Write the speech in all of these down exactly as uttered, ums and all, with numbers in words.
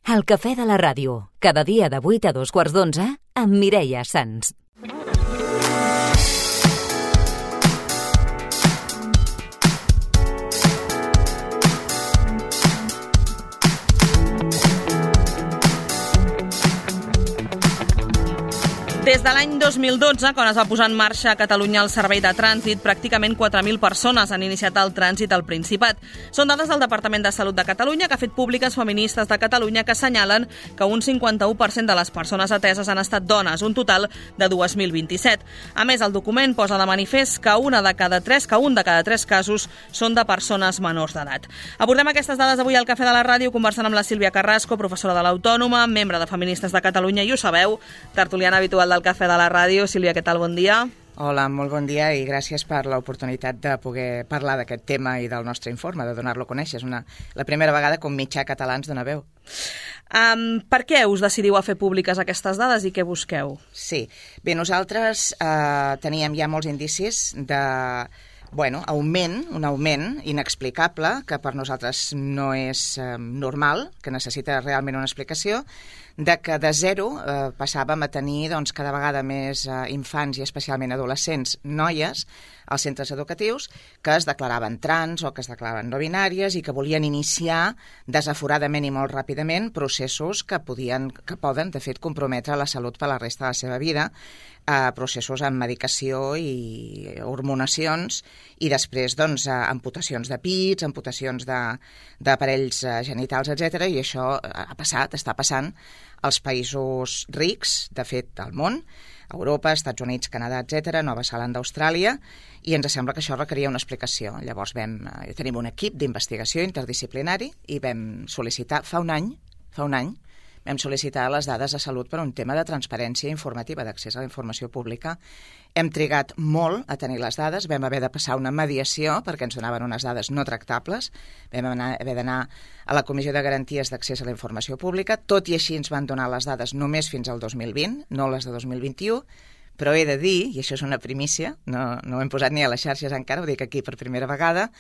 El cafè de la ràdio, cada dia de vuit a dos quarts d'onze, amb Mireia Sans. Des de l'any dos mil dotze, quan es va posar en marxa a Catalunya el servei de trànsit, pràcticament quatre mil persones han iniciat el trànsit al Principat. Són dades del Departament de Salut de Catalunya, que ha fet públiques Feministes de Catalunya, que assenyalen que un cinquanta-u per cent de les persones ateses han estat dones, un total de dos mil vint-i-set. A més, el document posa de manifest que una de cada tres, que un de cada tres casos són de persones menors d'edat. Abordem aquestes dades avui al Cafè de la Ràdio, conversant amb la Sílvia Carrasco, professora de l'Autònoma, membre de Feministes de Catalunya, i ho sabeu, tertuliana habitual del Cafè de la Ràdio. Sílvia, què tal? Bon dia. Hola, molt bon dia i gràcies per l'oportunitat de poder parlar d'aquest tema i del nostre informe, de donar-lo a conèixer. És una, la primera vegada que un mitjà català ens dona veu. Um, per què us decidiu a fer públiques aquestes dades i què busqueu? Sí, bé, nosaltres eh, teníem ja molts indicis de... Bueno, augment, un augment inexplicable, que per nosaltres no és eh, normal, que necessita realment una explicació, de que de zero eh, passàvem a tenir doncs, cada vegada més eh, infants i especialment adolescents, noies, als centres educatius que es declaraven trans o que es declaraven no binàries i que volien iniciar desaforadament i molt ràpidament processos que podien, que poden, de fet, comprometre la salut per la resta de la seva vida, eh, processos amb medicació i hormonacions i després doncs, eh, amputacions de pits, amputacions d'aparells eh, genitals, etcètera. I això ha passat, està passant als països rics, de fet, del món, Europa, Estats Units, Canadà, etcètera, Nova Zelanda, Austràlia, i ens sembla que això requeria una explicació. Llavors vam, eh, tenim un equip d'investigació interdisciplinari i vam sol·licitar fa un any, fa un any, vam sol·licitar les dades de salut per un tema de transparència informativa, d'accés a la informació pública. Hem trigat molt a tenir les dades, vam haver de passar una mediació perquè ens donaven unes dades no tractables, vam anar, haver d'anar a la Comissió de Garanties d'Accés a la Informació Pública, tot i així ens van donar les dades només fins al dos mil vint, no les de dos mil vint-i-u, però he de dir, i això és una primícia, no, no ho hem posat ni a les xarxes encara, ho dic aquí per primera vegada,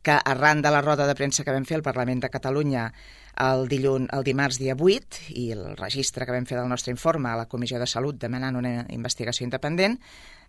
que arran de la roda de premsa que vam fer al Parlament de Catalunya el, dilluns, el dimarts dia vuit i el registre que vam fer del nostre informe a la Comissió de Salut demanant una investigació independent,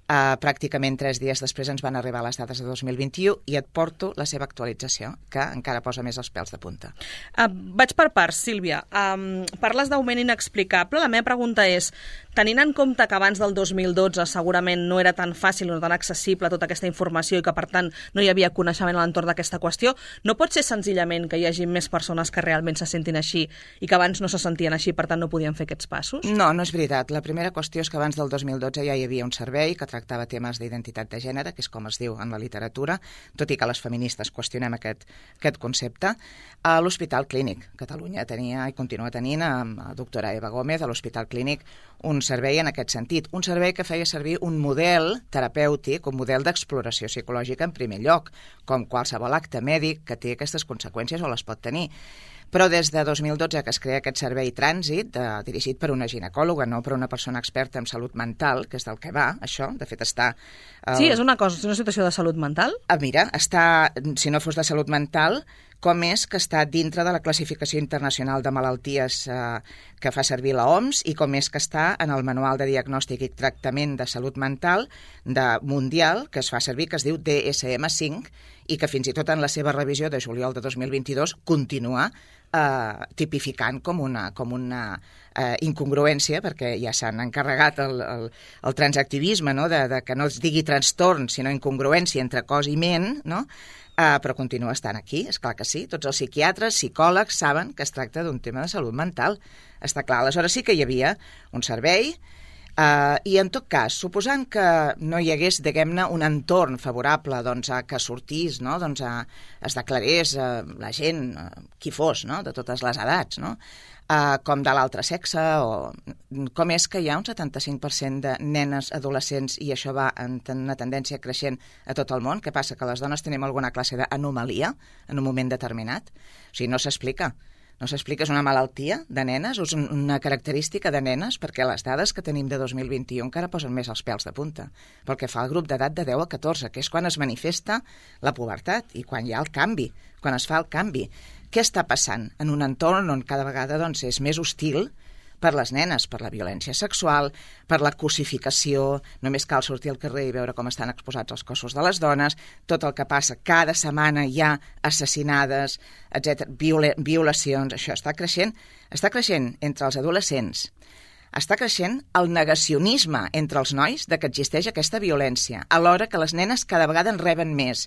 Uh, pràcticament tres dies després ens van arribar les dades de dos mil vint-i-u i et porto la seva actualització, que encara posa més els pèls de punta. Uh, vaig per parts, Sílvia. Um, parles d'augment inexplicable. La meva pregunta és, tenint en compte que abans del dos mil dotze segurament no era tan fàcil o no tan accessible tota aquesta informació i que, per tant, no hi havia coneixement a l'entorn d'aquesta qüestió, no pot ser senzillament que hi hagi més persones que realment se sentin així i que abans no se sentien així, per tant no podien fer aquests passos? No, no és veritat. La primera qüestió és que abans del dos mil dotze ja hi havia un servei que tractava temes d'identitat de gènere, que és com es diu en la literatura, tot i que les feministes qüestionem aquest, aquest concepte. A l'Hospital Clínic Catalunya tenia i continua tenint amb la doctora Eva Gómez a l'Hospital Clínic un servei en aquest sentit, un servei que feia servir un model terapèutic, un model d'exploració psicològica en primer lloc, com qualsevol acte mèdic que té aquestes conseqüències o les pot tenir. Però des de dos mil dotze que es crea aquest servei trànsit, eh, dirigit per una ginecòloga, no per una persona experta en salut mental, que és del que va, això, de fet està... Eh... Sí, és una cosa, és una situació de salut mental? Ah, mira, està, si no fos de salut mental, com és que està dintre de la classificació internacional de malalties eh, que fa servir l'O M S i com és que està en el Manual de Diagnòstic i Tractament de Salut Mental de mundial, que es fa servir, que es diu D S M cinc, i que fins i tot en la seva revisió de juliol de dos mil vint-i-dos continua eh, tipificant com una, com una eh, incongruència, perquè ja s'han encarregat el, el, el transactivisme, no? de, de que no es digui trastorn, sinó incongruència entre cos i ment, no? Uh, però continua estant aquí, és clar que sí. Tots els psiquiatres, psicòlegs saben que es tracta d'un tema de salut mental. Està clar, aleshores sí que hi havia un servei uh, i en tot cas, suposant que no hi hagués, diguem-ne, un entorn favorable doncs, a que sortís, no? doncs a, es declarés uh, la gent, uh, qui fos, no? de totes les edats, no? Uh, com de l'altre sexe, o com és que hi ha un setanta-cinc per cent de nenes adolescents i això va en una tendència creixent a tot el món. Què passa? Que les dones tenim alguna classe d'anomalia en un moment determinat? O sigui, no s'explica. No s'explica, és una malaltia de nenes, o és una característica de nenes, perquè les dades que tenim de dos mil vint-i-u encara posen més els pèls de punta. Pel que fa al grup d'edat de deu a catorze, que és quan es manifesta la pubertat i quan hi ha el canvi, quan es fa el canvi. què està passant en un entorn on cada vegada doncs, és més hostil per les nenes, per la violència sexual, per la cosificació, només cal sortir al carrer i veure com estan exposats els cossos de les dones, tot el que passa, cada setmana hi ha assassinades, etcètera, viola, violacions, això està creixent, està creixent entre els adolescents, està creixent el negacionisme entre els nois de que existeix aquesta violència, alhora que les nenes cada vegada en reben més.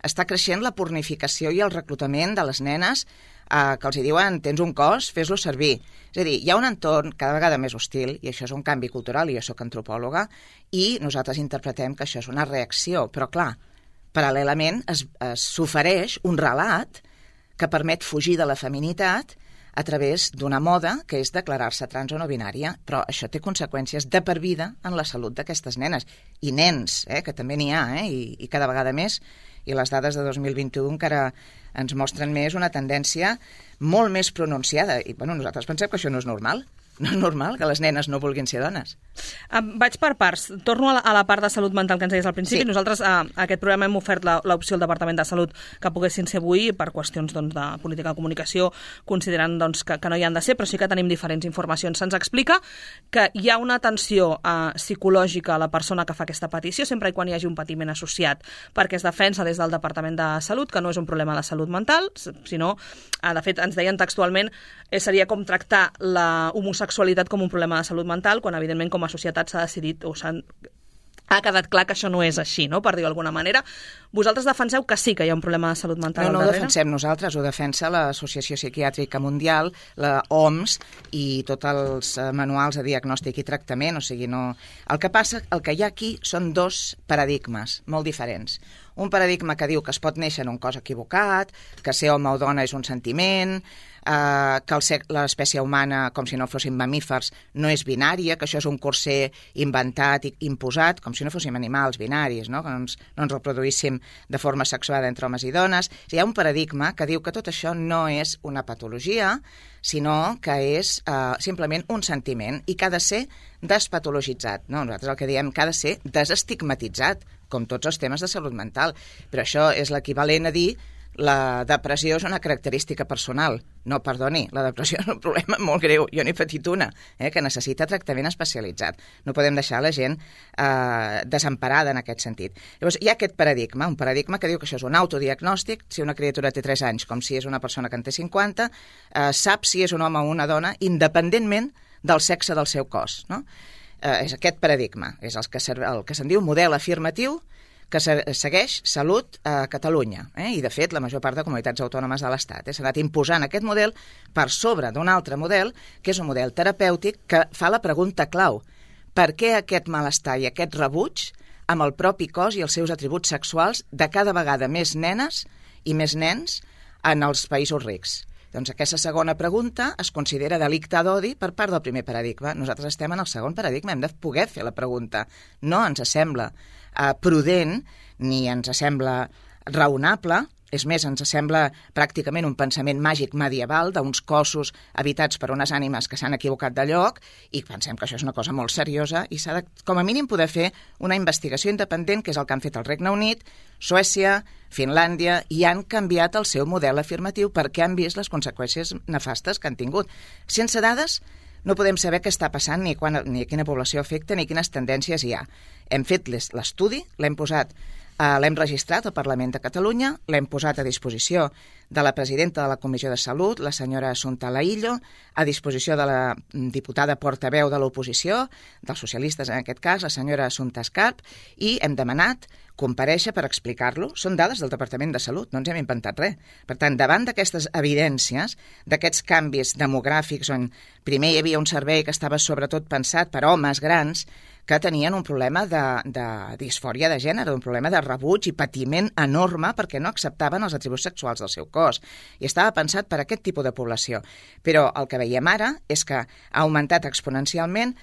Està creixent la pornificació i el reclutament de les nenes eh, que els hi diuen tens un cos, fes-lo servir. És a dir, hi ha un entorn cada vegada més hostil, i això és un canvi cultural, i jo soc antropòloga, i nosaltres interpretem que això és una reacció. Però, clar, paral·lelament es, es s'ofereix un relat que permet fugir de la feminitat a través d'una moda que és declarar-se trans o no binària, però això té conseqüències de per vida en la salut d'aquestes nenes. I nens, eh, que també n'hi ha, eh, i, i cada vegada més, i les dades de dos mil vint-i-u encara ens mostren més una tendència molt més pronunciada. I bueno, nosaltres pensem que això no és normal. No és normal que les nenes no vulguin ser dones. Um, vaig per parts. Torno a la, a la part de salut mental que ens deies al principi. Sí. Nosaltres a, a aquest programa hem ofert l'opció al Departament de Salut que poguessin ser avui per qüestions doncs, de política de comunicació, considerant doncs, que, que no hi han de ser, però sí que tenim diferents informacions. Se'ns explica que hi ha una atenció uh, psicològica a la persona que fa aquesta petició, sempre i quan hi hagi un patiment associat, perquè es defensa des del Departament de Salut que no és un problema de salut mental, sinó, uh, de fet, ens deien textualment, eh, seria com tractar la homosexualitat com un problema de salut mental, quan evidentment com a societat s'ha decidit o s'ha ha quedat clar que això no és així, no? Per dir-ho d'alguna manera. Vosaltres defenseu que sí que hi ha un problema de salut mental no, no al darrere? No, ho defensem nosaltres, ho defensa l'Associació Psiquiàtrica Mundial, la O M S i tots els manuals de diagnòstic i tractament, o sigui, no... El que passa, el que hi ha aquí són dos paradigmes molt diferents. Un paradigma que diu que es pot néixer en un cos equivocat, que ser home o dona és un sentiment, eh, que l'espècie humana, com si no fossin mamífers, no és binària, que això és un corser inventat i imposat, com si no fóssim animals binaris, no? Que no ens, no ens reproduíssim de forma sexuada entre homes i dones. Hi ha un paradigma que diu que tot això no és una patologia, sinó que és eh, simplement un sentiment i que ha de ser despatologitzat. No? Nosaltres el que diem que ha de ser desestigmatitzat, com tots els temes de salut mental. Però això és l'equivalent a dir la depressió és una característica personal. No, perdoni, la depressió és un problema molt greu. Jo n'he patit una, eh, que necessita tractament especialitzat. No podem deixar la gent eh, desemparada en aquest sentit. Llavors, hi ha aquest paradigma, un paradigma que diu que això és un autodiagnòstic, si una criatura té tres anys, com si és una persona que en té cinquanta, eh, sap si és un home o una dona, independentment del sexe del seu cos, no? Eh, és aquest paradigma, és el que, el que se'n diu model afirmatiu que segueix Salut a Catalunya. Eh? I, de fet, la major part de comunitats autònomes de l'Estat. Eh? S'ha anat imposant aquest model per sobre d'un altre model, que és un model terapèutic que fa la pregunta clau. Per què aquest malestar i aquest rebuig amb el propi cos i els seus atributs sexuals de cada vegada més nenes i més nens en els països rics? Doncs aquesta segona pregunta es considera delicte d'odi per part del primer paradigma. Nosaltres estem en el segon paradigma, hem de poder fer la pregunta. No ens sembla eh, prudent ni ens sembla raonable, és més, ens sembla pràcticament un pensament màgic medieval d'uns cossos habitats per unes ànimes que s'han equivocat de lloc i pensem que això és una cosa molt seriosa i s'ha de, com a mínim, poder fer una investigació independent, que és el que han fet el Regne Unit, Suècia, Finlàndia, i han canviat el seu model afirmatiu perquè han vist les conseqüències nefastes que han tingut. Sense dades no podem saber què està passant, ni, quan, ni quina població afecta, ni quines tendències hi ha. Hem fet l'estudi, l'hem posat Uh, l'hem registrat al Parlament de Catalunya, l'hem posat a disposició de la presidenta de la Comissió de Salut, la senyora Assumpta Laïllo, a disposició de la diputada portaveu de l'oposició, dels socialistes en aquest cas, la senyora Assumpta Escarp, i hem demanat comparèixer per explicar-lo. Són dades del Departament de Salut, no ens hem inventat res. Per tant, davant d'aquestes evidències, d'aquests canvis demogràfics on primer hi havia un servei que estava sobretot pensat per homes grans que tenien un problema de, de disfòria de gènere, un problema de rebuig i patiment enorme perquè no acceptaven els atributs sexuals del seu cos. I estava pensat per a aquest tipus de població. Però el que veiem ara és que ha augmentat exponencialment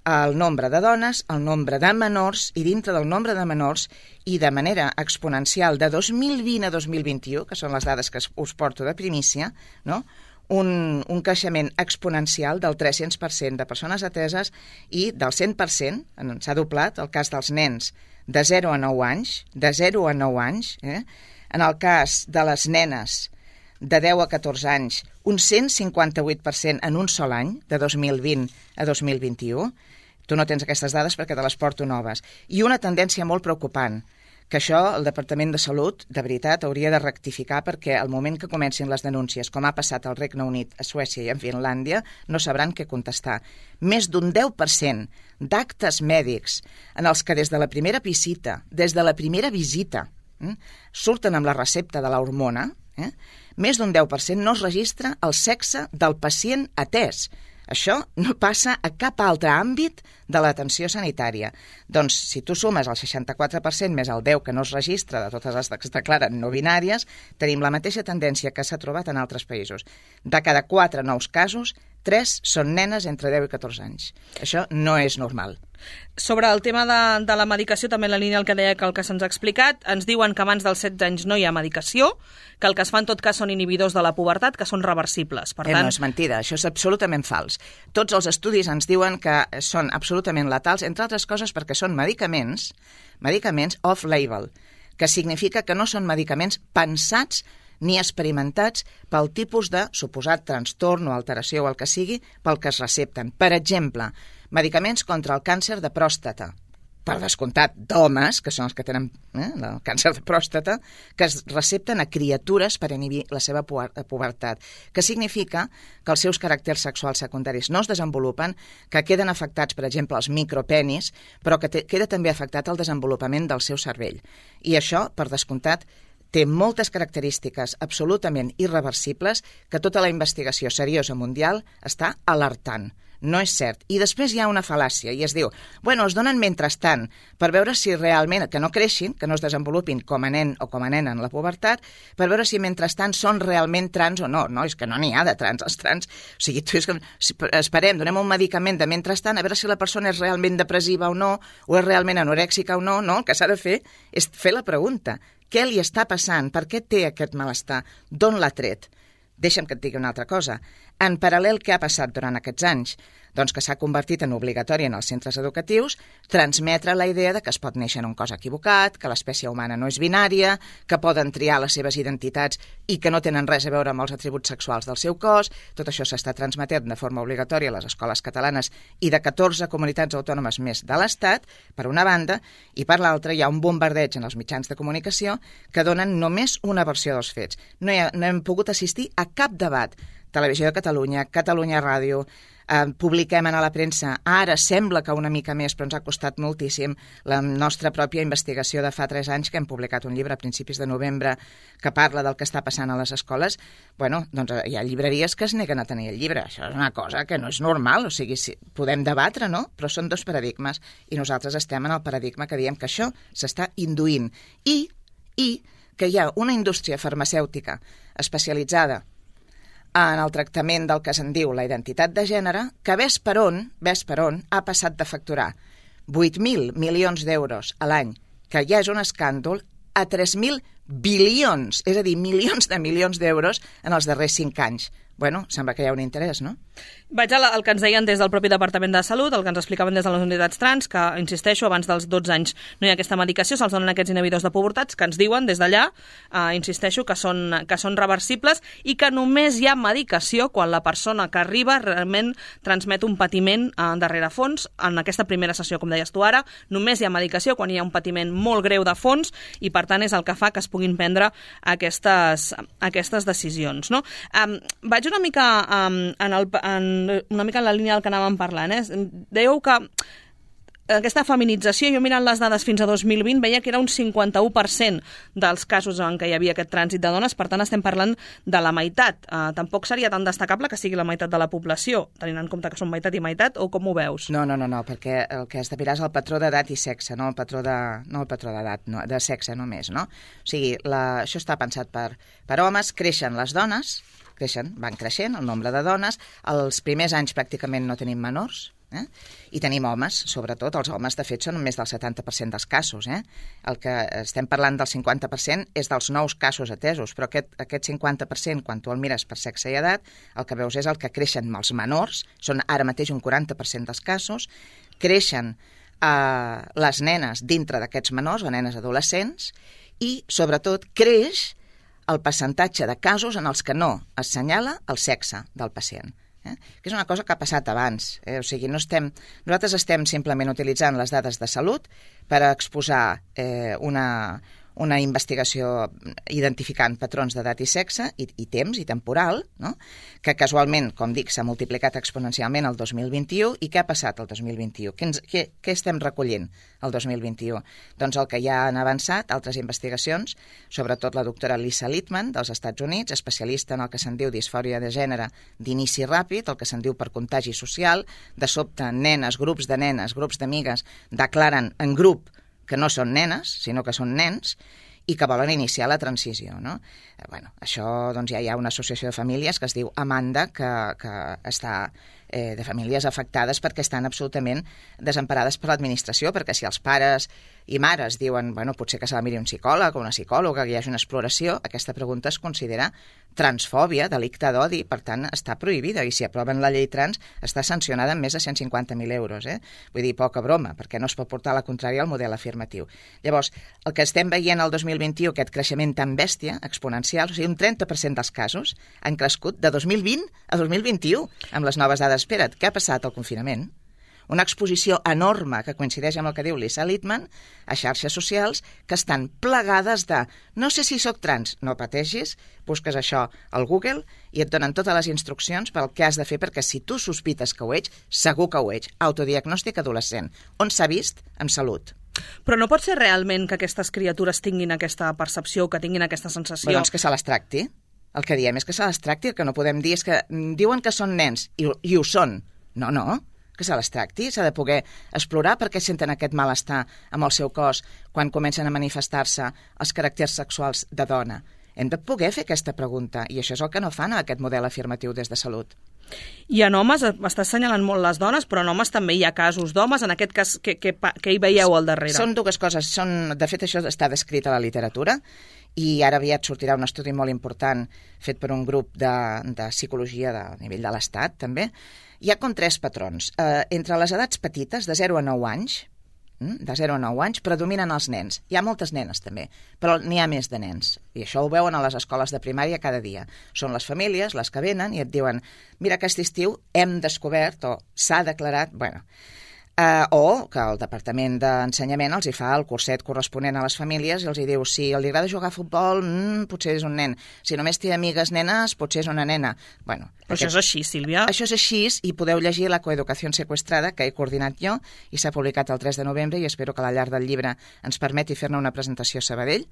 el nombre de dones, el nombre de menors, i dintre del nombre de menors, i de manera exponencial de dos mil vint a dos mil vint-i-u, que són les dades que us porto de primícia, no?, un, un creixement exponencial del tres-cents per cent de persones ateses i del cent per cent, s'ha doblat el cas dels nens de zero a nou anys, de zero a nou anys, eh? En el cas de les nenes de deu a catorze anys, un cent cinquanta-vuit per cent en un sol any, de dos mil vint a dos mil vint-i-u. Tu no tens aquestes dades perquè te les porto noves. I una tendència molt preocupant, que això el Departament de Salut, de veritat, hauria de rectificar perquè al moment que comencin les denúncies, com ha passat al Regne Unit, a Suècia i a Finlàndia, no sabran què contestar. Més d'un deu per cent d'actes mèdics en els que des de la primera visita, des de la primera visita, eh, surten amb la recepta de l'hormona, eh, més d'un deu per cent no es registra el sexe del pacient atès. Això no passa a cap altre àmbit de l'atenció sanitària. Doncs, si tu sumes el seixanta-quatre per cent més el deu que no es registra de totes les que es declaren no binàries, tenim la mateixa tendència que s'ha trobat en altres països. De cada quatre nous casos, tres són nenes entre deu i catorze anys. Això no és normal. Sobre el tema de, de la medicació, també en la línia el que deia que el que se'ns ha explicat, ens diuen que abans dels setze anys no hi ha medicació, que el que es fa en tot cas són inhibidors de la pubertat, que són reversibles. Per eh, tant... No és mentida, això és absolutament fals. Tots els estudis ens diuen que són absolutament letals, entre altres coses perquè són medicaments, medicaments off-label, que significa que no són medicaments pensats ni experimentats pel tipus de suposat trastorn o alteració o el que sigui pel que es recepten. Per exemple, medicaments contra el càncer de pròstata, per descomptat d'homes, que són els que tenen eh, el càncer de pròstata, que es recepten a criatures per inhibir la seva pubertat, que significa que els seus caràcters sexuals secundaris no es desenvolupen, que queden afectats, per exemple, els micropenis, però que te, queda també afectat el desenvolupament del seu cervell. I això, per descomptat, té moltes característiques absolutament irreversibles que tota la investigació seriosa mundial està alertant. No és cert. I després hi ha una fal·làcia, i es diu, bueno, es donen mentrestant, per veure si realment, que no creixin, que no es desenvolupin com a nen o com a nena en la pubertat, per veure si mentrestant són realment trans o no. No, és que no n'hi ha de trans. Els trans, o sigui, tu és que, esperem, donem un medicament de mentrestant, a veure si la persona és realment depressiva o no, o és realment anorèxica o no, no, el que s'ha de fer és fer la pregunta. Què li està passant? Per què té aquest malestar? D'on l'ha tret? Deixa'm que et digui una altra cosa. En paral·lel, què ha passat durant aquests anys? Doncs que s'ha convertit en obligatori en els centres educatius transmetre la idea de que es pot néixer en un cos equivocat, que l'espècie humana no és binària, que poden triar les seves identitats i que no tenen res a veure amb els atributs sexuals del seu cos. Tot això s'està transmetent de forma obligatòria a les escoles catalanes i de catorze comunitats autònomes més de l'Estat, per una banda, i per l'altra hi ha un bombardeig en els mitjans de comunicació que donen només una versió dels fets. No, hi ha, no hem pogut assistir a cap debat. Televisió de Catalunya, Catalunya Ràdio, eh, publiquem a la premsa. Ara sembla que una mica més, però ens ha costat moltíssim la nostra pròpia investigació de fa tres anys, que hem publicat un llibre a principis de novembre que parla del que està passant a les escoles. Bueno, doncs hi ha llibreries que es neguen a tenir el llibre. Això és una cosa que no és normal, o sigui, sí, podem debatre, no? Però són dos paradigmes i nosaltres estem en el paradigma que diem que això s'està induint i, i que hi ha una indústria farmacèutica especialitzada en el tractament del que se'n diu la identitat de gènere, que ves per on, ves per on, ha passat de facturar vuit mil milions d'euros a l'any, que ja és un escàndol, a tres mil bilions, és a dir, milions de milions d'euros en els darrers cinc anys. Bueno, sembla que hi ha un interès, no? Vaig al, al que ens deien des del propi Departament de Salut, el que ens explicaven des de les unitats trans, que, insisteixo, abans dels dotze anys no hi ha aquesta medicació, se'ls donen aquests inhibidors de pubertats, que ens diuen des d'allà, eh, insisteixo, que són, que són reversibles i que només hi ha medicació quan la persona que arriba realment transmet un patiment eh, darrere fons. En aquesta primera sessió, com deies tu ara, només hi ha medicació quan hi ha un patiment molt greu de fons i, per tant, és el que fa que es puguin prendre aquestes, aquestes decisions, no? Um, vaig una mica um, en, el, en una mica en la línia del que anàvem parlant, eh? Dèieu que aquesta feminització, jo mirant les dades fins a dos mil vint, veia que era un cinquanta-u per cent dels casos en què hi havia aquest trànsit de dones, per tant estem parlant de la meitat. Uh, tampoc seria tan destacable que sigui la meitat de la població, tenint en compte que són meitat i meitat, o com ho veus? No, no, no, no, perquè el que has de mirar és el patró d'edat i sexe, no el patró de, no el patró d'edat, no, de sexe només, no? O sigui, la, això està pensat per, per homes, creixen les dones, creixen, van creixent el nombre de dones, els primers anys pràcticament no tenim menors, eh? I tenim homes, sobretot, els homes de fet són més del setanta per cent dels casos, eh? El que estem parlant del cinquanta per cent és dels nous casos atesos, però aquest, aquest cinquanta per cent, quan tu el mires per sexe i edat, el que veus és el que creixen els menors, són ara mateix un quaranta per cent dels casos, creixen eh, les nenes dintre d'aquests menors, o nenes adolescents, i sobretot creix el percentatge de casos en els que no assenyala el sexe del pacient. Eh? Que és una cosa que ha passat abans. Eh? O sigui, no estem, nosaltres estem simplement utilitzant les dades de salut per exposar eh, una, una investigació identificant patrons d'edat i sexe i, i temps i temporal, no? Que casualment, com dic, s'ha multiplicat exponencialment el dos mil vint-i-u. I què ha passat el dos mil vint-i-u? Què, ens, què, què estem recollint el dos mil vint-i-u? Doncs el que ja han avançat altres investigacions, sobretot la doctora Lisa Littman dels Estats Units, especialista en el que se'n diu disfòria de gènere d'inici ràpid, el que se'n diu per contagi social. De sobte, nenes, grups de nenes, grups d'amigues declaren en grup que no són nenes, sinó que són nens, i que volen iniciar la transició, no? Eh, bueno, això, doncs, ja hi ha una associació de famílies que es diu Amanda, que, que està eh, de famílies afectades perquè estan absolutament desemparades per l'administració, perquè si els pares i mares diuen, bueno, potser que s'ha de mirar un psicòleg o una psicòloga, que hi hagi una exploració, aquesta pregunta es considera transfòbia, delicte d'odi, per tant, està prohibida, i si aproven la llei trans està sancionada amb més de cent cinquanta mil euros. Eh? Vull dir, poca broma, perquè no es pot portar la contrària al model afirmatiu. Llavors, el que estem veient el dos mil vint-i-u, aquest creixement tan bèstia, exponencial, o sigui, un trenta per cent dels casos han crescut de dos mil vint a dos mil vint-i-u, amb les noves dades. Espera't, què ha passat al confinament? Una exposició enorme que coincideix amb el que diu Lisa Littman a xarxes socials que estan plegades de no sé si sóc trans, no pateixis, busques això al Google i et donen totes les instruccions pel que has de fer, perquè si tu sospites que ho ets, segur que ho ets. Autodiagnòstic adolescent, on s'ha vist en salut. Però no pot ser realment que aquestes criatures tinguin aquesta percepció, que tinguin aquesta sensació? Bé, doncs que se les tracti. El que diem és que se les tracti, el que no podem dir és que diuen que són nens i, i ho són. No, no. Que se les tracti, s'ha de poder explorar per què senten aquest malestar amb el seu cos quan comencen a manifestar-se els caràcters sexuals de dona. Hem de poder fer aquesta pregunta, i això és el que no fan a aquest model afirmatiu des de salut. I en homes, m'estàs assenyalant molt les dones, però en homes també hi ha casos d'homes, en aquest cas, què, què, què hi veieu al darrere? Són dues coses, són, de fet això està descrit a la literatura, i ara aviat sortirà un estudi molt important fet per un grup de, de psicologia de nivell de l'Estat, també. Hi ha com tres patrons. Eh, entre les edats petites, de zero a nou anys, de zero a nou anys, predominen els nens. Hi ha moltes nenes, també, però n'hi ha més de nens. I això ho veuen a les escoles de primària cada dia. Són les famílies les que venen i et diuen mira, aquest estiu hem descobert o s'ha declarat, bueno... Uh, o que el Departament d'Ensenyament els hi fa el curset corresponent a les famílies i els hi diu si li agrada jugar a futbol, mm, potser és un nen. Si només té amigues nenes, potser és una nena. Bueno, Però aquest... això és així, Sílvia? Això és així i podeu llegir la coeducació seqüestrada que he coordinat jo i s'ha publicat el tres de novembre i espero que a la llar del llibre ens permeti fer-ne una presentació a Sabadell.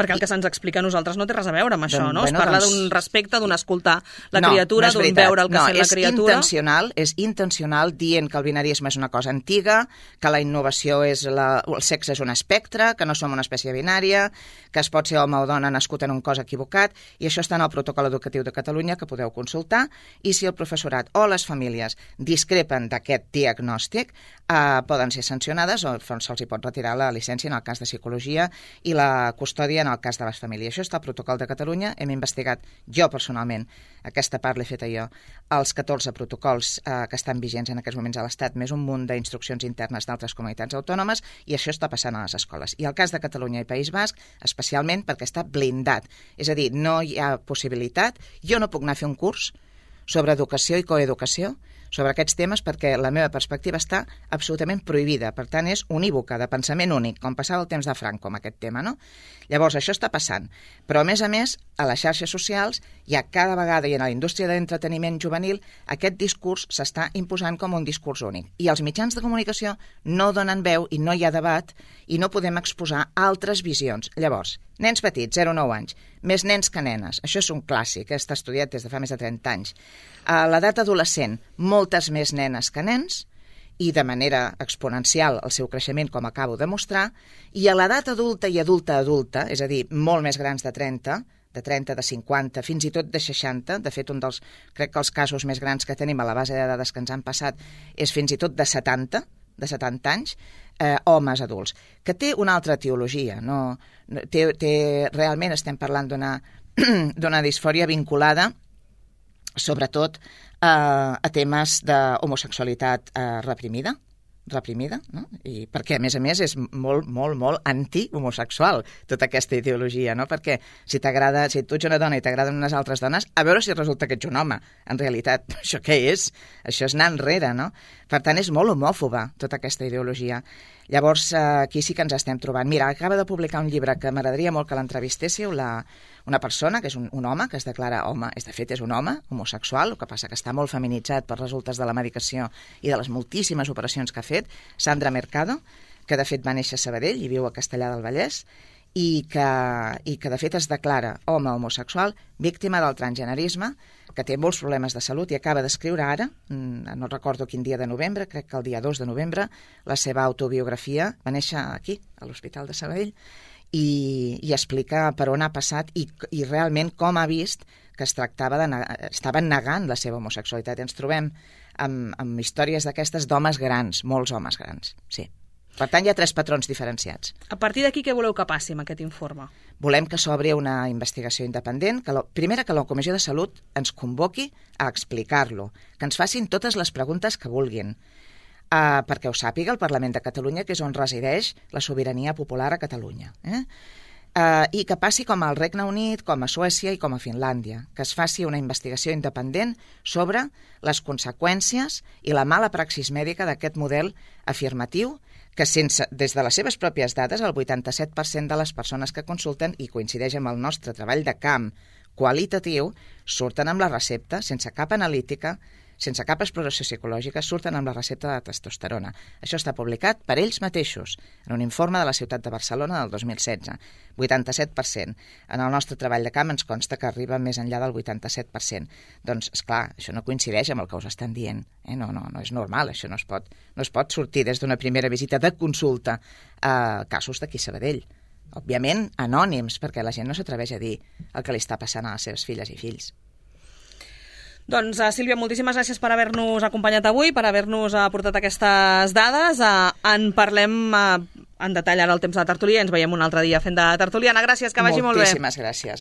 Perquè el que se'ns explica a nosaltres no té res a veure amb això, doncs, no? Bueno, es parla doncs... d'un respecte, d'un escoltar la no, criatura, no d'un veure el que no, sent la criatura. Intencional, és intencional dient que el binarisme és una cosa antiga, que la innovació és la, el sexe és un espectre, que no som una espècie binària, que es pot ser home o dona nascut en un cos equivocat, i això està en el protocol educatiu de Catalunya que podeu consultar, i si el professorat o les famílies discrepen d'aquest diagnòstic, eh, poden ser sancionades o se'ls hi pot retirar la llicència en el cas de psicologia i la custòdia en el cas de les famílies. Això està al protocol de Catalunya, hem investigat jo personalment, aquesta part l'he feta jo, els catorze protocols eh, que estan vigents en aquests moments a l'Estat, més un munt d'instruccions internes d'altres comunitats autònomes, i això està passant a les escoles. I el cas de Catalunya i País Basc, especialment perquè està blindat. És a dir, no hi ha possibilitat, jo no puc anar a fer un curs sobre educació i coeducació, sobre aquests temes, perquè la meva perspectiva està absolutament prohibida. Per tant, és unívoca, de pensament únic, com passava el temps de Franco amb aquest tema, no? Llavors, això està passant. Però, a més a més, a les xarxes socials hi ha cada vegada, i en la indústria de l'entreteniment juvenil, aquest discurs s'està imposant com un discurs únic. I els mitjans de comunicació no donen veu i no hi ha debat i no podem exposar altres visions. Llavors, nens petits, zero a nou anys, més nens que nenes. Això és un clàssic, està estudiat des de fa més de trenta anys. A l'edat adolescent, moltes més nenes que nens, i de manera exponencial el seu creixement, com acabo de mostrar, i a l'edat adulta i adulta-adulta, és a dir, molt més grans de trenta, de trenta, de cinquanta, fins i tot de seixanta, de fet, un dels, crec que els casos més grans que tenim a la base de dades que ens han passat és fins i tot de setanta, de setanta anys, eh, homes adults, que té una altra etiologia, no, té, té, realment estem parlant d'una d'una disfòria vinculada sobretot eh, a temes d'homosexualitat eh, reprimida, reprimida, no? I perquè, a més a més, és molt, molt, molt anti-homosexual, tota aquesta ideologia, no? Perquè si t'agrada, si tu ets una dona i t'agraden unes altres dones, a veure si resulta que ets un home. En realitat, això què és? Això és anar enrere, no? Per tant, és molt homòfoba, tota aquesta ideologia. Llavors, aquí sí que ens estem trobant. Mira, acaba de publicar un llibre que m'agradaria molt que l'entrevistéssiu, la, una persona, que és un, un home, que es declara home, és, de fet és un home homosexual, el que passa que està molt feminitzat per resultes de la medicació i de les moltíssimes operacions que ha fet, Sandra Mercado, que de fet va néixer a Sabadell i viu a Castellar del Vallès, i que, i que de fet es declara home homosexual, víctima del transgenerisme, que té molts problemes de salut i acaba d'escriure ara, no recordo quin dia de novembre, crec que el dia dos de novembre, la seva autobiografia. Va néixer aquí, a l'Hospital de Sabadell, i, i explica per on ha passat i, i realment com ha vist que es tractava de negar, estaven negant la seva homosexualitat. Ens trobem amb, amb històries d'aquestes d'homes grans, molts homes grans, sí. Per tant, hi ha tres patrons diferenciats. A partir d'aquí, què voleu que passi amb aquest informe? Volem que s'obri una investigació independent, que la, primera que la Comissió de Salut ens convoqui a explicar-lo, que ens facin totes les preguntes que vulguin, uh, perquè ho sàpiga el Parlament de Catalunya, que és on resideix la sobirania popular a Catalunya. Eh? Uh, I que passi com al Regne Unit, com a Suècia i com a Finlàndia, que es faci una investigació independent sobre les conseqüències i la mala praxis mèdica d'aquest model afirmatiu que sense, des de les seves pròpies dades, el vuitanta-set per cent de les persones que consulten, i coincideix amb el nostre treball de camp qualitatiu, surten amb la recepta, sense cap analítica, sense cap exploració psicològica, surten amb la recepta de testosterona. Això està publicat per ells mateixos, en un informe de la ciutat de Barcelona del dos mil setze. vuitanta-set per cent. En el nostre treball de camp ens consta que arriba més enllà del vuitanta-set per cent. Doncs, esclar, això no coincideix amb el que us estan dient. Eh? No, no, no és normal, això no es pot, no es pot sortir des d'una primera visita de consulta a casos d'aquí a Sabadell. Òbviament, anònims, perquè la gent no s'atreveix a dir el que li està passant a les seves filles i fills. Doncs, uh, Sílvia, moltíssimes gràcies per haver-nos acompanyat avui, per haver-nos aportat aquestes dades. Uh, en parlem uh, en detall ara el temps de la tertúlia i ens veiem un altre dia fent de tertuliana. Gràcies, que vagi molt bé. Moltíssimes gràcies.